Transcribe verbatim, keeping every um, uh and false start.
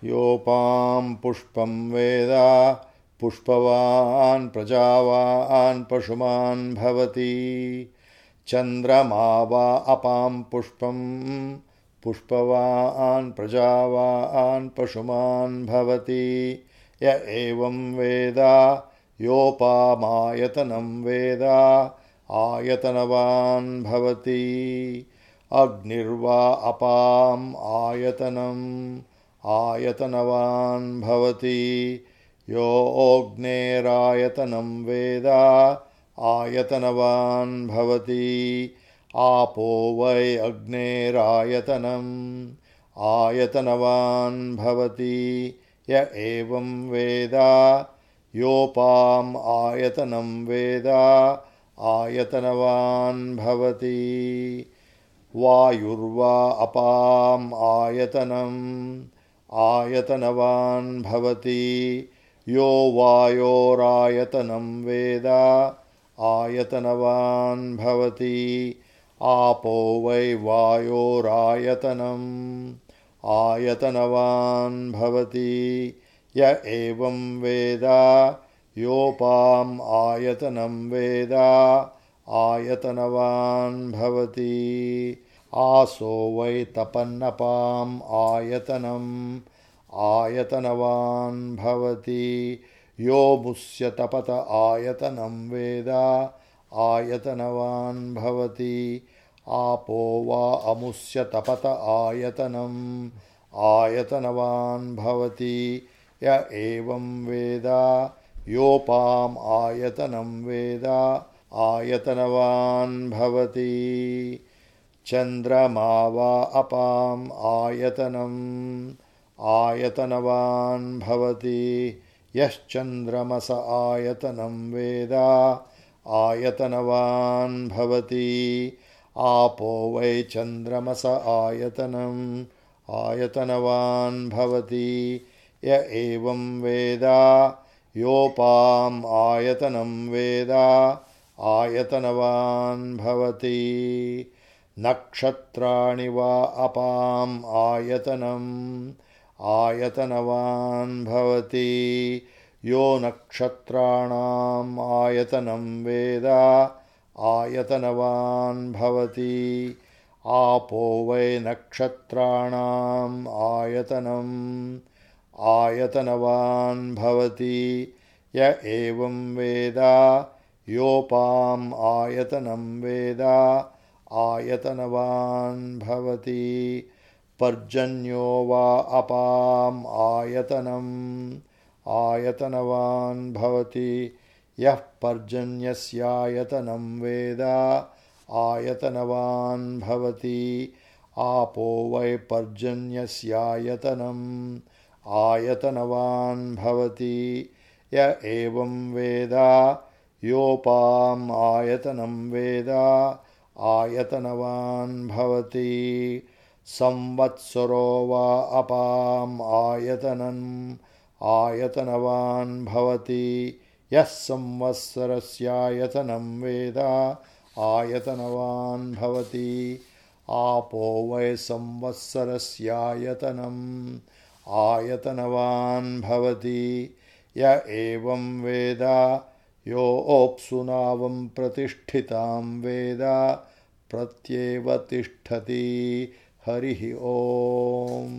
योपां पुष्पं वेद पुष्पवान् प्रजावान् पशुमान् भवति चन्द्रमा वा अपां पुष्पं पुष्पवान् प्रजावान् पशुमान् भवति य एवं वेद योपामायतनं वेद आयतनवान् भवति अग्निर्वा अपाम् आयतनम् आयतनवान् भवति यो अग्नेरायतनं वेद आयतनवान् भवति आपो वै अग्नेरायतनम् आयतनवान् भवति य एवं वेद योपाम् आयतनं वेद आयतनवान् भवति वायुर्वा अपाम् आयतनम् आयतनवान् भवति यो वायोरायतनं वेद आयतनवान् भवति आपो वै वायोरायतनम् आयतनवान् भवति य एवं वेद योपाम् आयतनं वेद आयतनवान् भवति आसो वै तपन्नपाम् आयतनम् आयतनवान् भवति यो मुस्य तपत आयतनं वेद आयतनवान् भवति आपो वा अमुस्य तपत आयतनम् आयतनवान् भवति य एवं वेद योपाम् आयतनं वेद आयतनवान् भवति चन्द्रमा वा अपाम् आयतनम् आयतनवान् भवति यश्चन्द्रमस आयतनं वेद आयतनवान् भवति आपो वै चन्द्रमस आयतनम् आयतनवान् भवति य एवं वेद योपाम् आयतनं वेद आयतनवान् भवति नक्षत्राणि वा अपाम् आयतनम् आयतनवान् भवति यो नक्षत्राणाम् आयतनं वेद आयतनवान् भवति आपो वै नक्षत्राणाम् आयतनम् आयतनवान् भवति य एवं वेद योपाम् आयतनं वेद आयतनवान् भवति पर्जन्यो वा अपाम् आयतनम् आयतनवान् भवति यः पर्जन्यस्यायतनं वेद आयतनवान् भवति आपो वै पर्जन्यस्यायतनम् आयतनवान् भवति य एवं वेद योपाम् आयतनं वेद आयतनवान् भवति संवत्सरो वा अपाम् आयतनम् आयतनवान् भवति यः संवत्सरस्यायतनं वेद आयतनवान् भवति आपो वै संवत्सरस्यायतनम् आयतनवान् भवति य एवं वेद योऽप्सुनावं प्रतिष्ठितां वेद प्रत्येव तिष्ठति हरिः ओम्।